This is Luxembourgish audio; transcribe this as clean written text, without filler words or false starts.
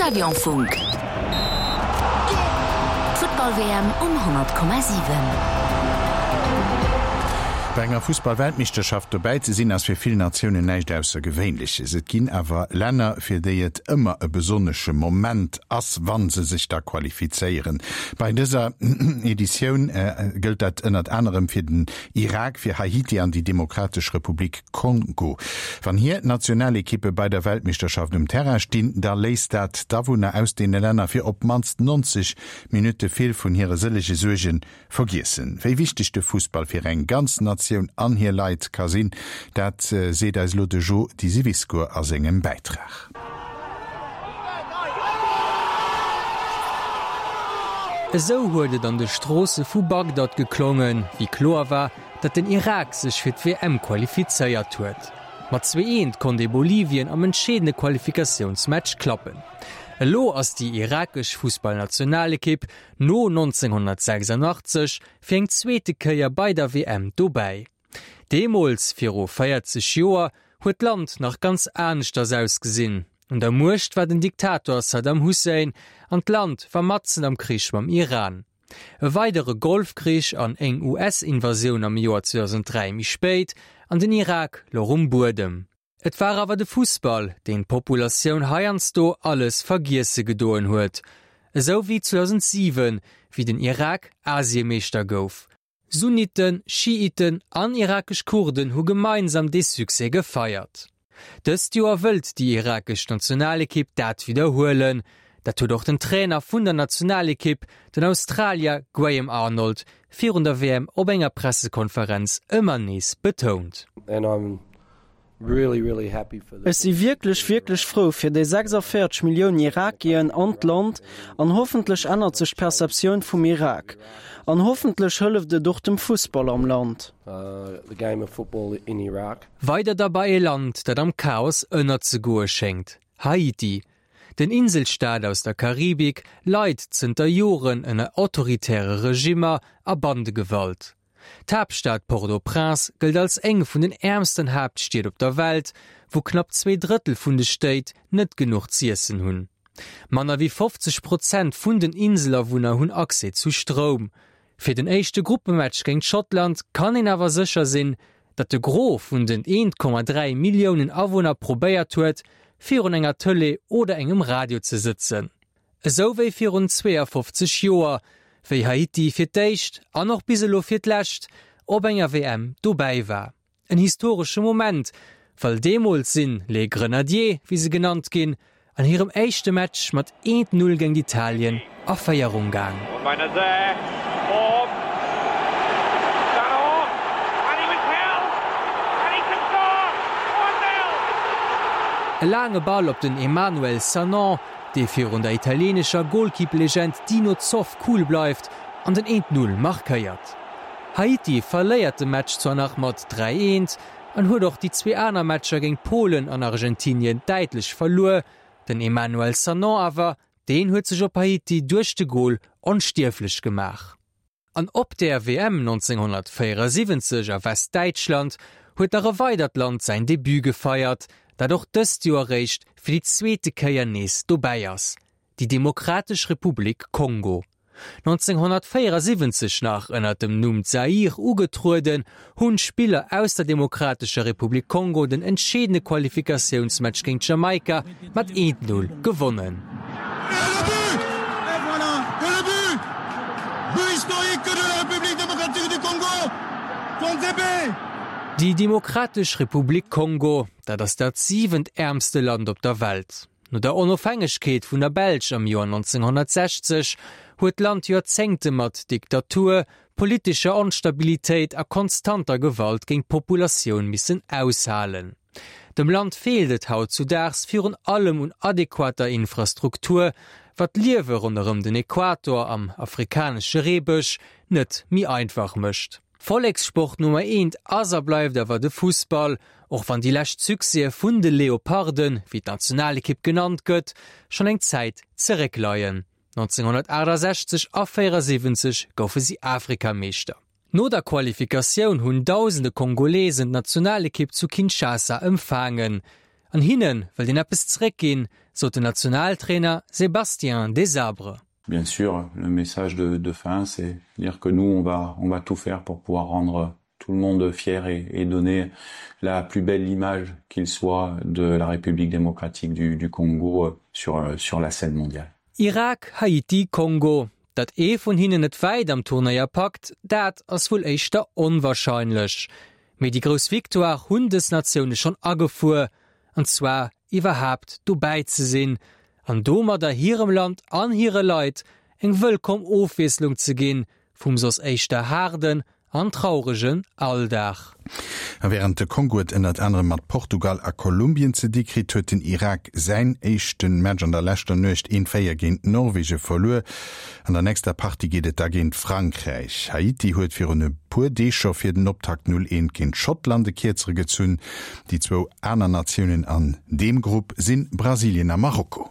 Stadionfunk. D'Futtball-WM um 100,7. Bei enger Fussball-Weltmeeschterschaft dobäi ze sinn, ass fir vill Natiounen näischt Aussergewéinleches. Et ginn awer Länner, fir déi et ëmmer e besonnesche Moment ass, wa se sech da qualifizéieren. Bei dëser Editioun gëllt dat ënnert anerem fir den Irak, fir Haiti an déi Demokratesch Republik Kongo. Wann hir Nationalekippe bei der Weltmeeschterschaft um Terrain stinn, da léisst dat d'Awunner aus deene Länner fir op d'mannst 90 Minutte vill vun hire sëllege Suerge vergiessen. Wéi wichteg de Fussball fir eng ganz Natioun an hir Leit ka sinn, dat seet eis elo de Jo Disiviscour a sengem Bäitrag. Esou huet et an de Stroosse vu Bagdad geklongen, wéi kloer war, datt den Irak sech fir d'WM qualifizéiert huet. Mat 2 Eent konnt ee Bolivien am entscheedende Qualifikatiounsmatch klappen. Elo ass déi irakesch Fussballnationalekipp no 1986 fir eng zweete Kéier bei der WM dobäi. Deemools, viru 40 Joer, huet d'Land nach ganz aneschters ausgesinn. Un der Muecht war den Diktator Saddam Hussein an d'Land war matzen am Krich mam Iran. E weidere Golfkrich an eng US-Invasioun am Joer 2003 méi spéit, an den Irak louch um Buedem. Et war awer de Fussball, deen d'Populatioun heiansdo alles vergiesse gedoen huet. Esou wéi 2007, wéi den Irak Asiemeeschter gouf. Sunniten, Schiiten an irakesch Kurden hu gemeinsam dee Succès gefeiert. Dëst Joer wëllt déi irakesch Nationalekipp dat widderhuelen. Dat huet och den Trainer vun der Nationalekipp, den Australier Graham Arnold, virun der WM op enger Pressekonferenz ëmmer nees betount. Ech si wierklech, wierklech frou fir déi 46 Milliounen Irakien an d'Land an hoffentlech ännert sech d'Perceptioun vum Irak. An hoffentlech hëlleft et och dem Fussball am Land. Weider da bei e Land, dat am Chaos ënnerzegoe schéngt, Haiti. Den Inselstaat aus der Karibik leit zënter Joren ënner autoritäre Regimmer a Bandegewalt. D'Haaptstad Port-au-Prince gëllt als eng vun den äermsten Haaptstied op der Welt, wou knapp 2/3 vun de Stéit net genuch z'iessen hunn. Manner wéi 50 Prozent vun den Inselawunner hunn Accès zu Stroum. Fir den éischte Gruppematch géint Schottland kann een awer sécher sinn, datt de Gros vun den 1,3 Milliounen Awunner probéiert huet, virun enger Tëlee oder engem Radio ze sëtzen. Esou wéi virun 52 Joer, wéi Haiti fir d'éischt an och bis elo fir d'lescht op enger WM dobäi war. En historesche Moment, well deemools sinn Les Grenadiers, wéi se genannt ginn, an hirem éischte Match mat 1, 0 géint Italien a Féierung gaang. E laange Ball op den Emmanuel Sanon, dee virun der italienescher Golkipp-Legend Dino Zoff cool bleift an den 1, 0 markéiert. Haiti verléiert de Match zwar nach mat 3, 1 an huet och déi zwee aner Matcher géint Polen an Argentinien däitlech verluer, den Emmanuel Sanon awer, deen huet sech op Haiti duerch de Gol onstierflech gemaach. An op där WM 1974 a Westdäitschland huet nach e weidert Land säin Debut gefeiert, dat och dëst Joer réischt fir déi zweete Kéier nees dobäi ass, déi Demokratesch Republik Kongo. 1974 nach ënner dem Numm Zaïre ugetrueden, hunn d'Spiller aus der Demokratescher Republik Kongo den entscheedende Qualifikatiounsmatch géint Jamaika mat 1, 0 gewonnen. Déi Demokratesch Republik Kongo, dat ass dat siwent äermste Land op der Welt. No der Onofhängegkeet vun der Belsch am Joer 1960 huet d'Land Joerzéngte mat Diktatur, politescher Onstabilitéit a konstanter Gewalt géint d'Populatioun missen aushalen. Dem Land feelt et hautzudaags virun allem un adequater Infrastruktur, wat d'Liewe ronderëm den Äquator am afrikanesche Reebësch net méi einfach mécht. Vollekssport Nummer eent ass a bleift awer de Fussball, och wann déi lescht Succèse vun de Leoparden, wéi d'Nationalekipp genannt gëtt, schonn eng Zäit zeréckleien. 1968 a 74 goufe si Afrikameeschter. No der Qualifikatioun hunn dausende Kongolesen d'Nationalekipp zu Kinshasa empfaangen. An hinne wëllt een eppes zeréckginn, sot den Nationaltrainer Sébastien Desabre. Bien sûr, le message de, de fin, c'est dire que nous, on va, on va tout faire pour pouvoir rendre tout le monde fier et, et donner la plus belle image qu'il soit de la République démocratique du, du Congo euh, sur, euh, sur la scène mondiale. Irak, Haiti, Kongo, Datt ee vun hinnen et wäit am Turnéier packt, dat ass wuel éischter onwarscheinlech. Mee déi grouss Victoire hunn dës Natioune schonn agefuer, an zwar iwwerhaapt dobäi ze sinn an domadder hirem Land an hire Leit eng wëllkomm Ofwiesslung ze ginn vum soss éischter haarden an trauregen Alldag. A wärend de Kongo et ënnert anerem mat Portugal a Kolumbien ze di kritt, huet den Irak säin éischte Match an der leschter Nuecht 1, 4 géint Norwege verluer. An der nächster Partie geet et da géint Frankräich. Haiti huet virun e puer Deeg scho fir den Optakt 0, 1 géint Schottland e Kierzere gezunn. Déi zwou aner Natiounen an deem Grupp si Brasilien a Marokko.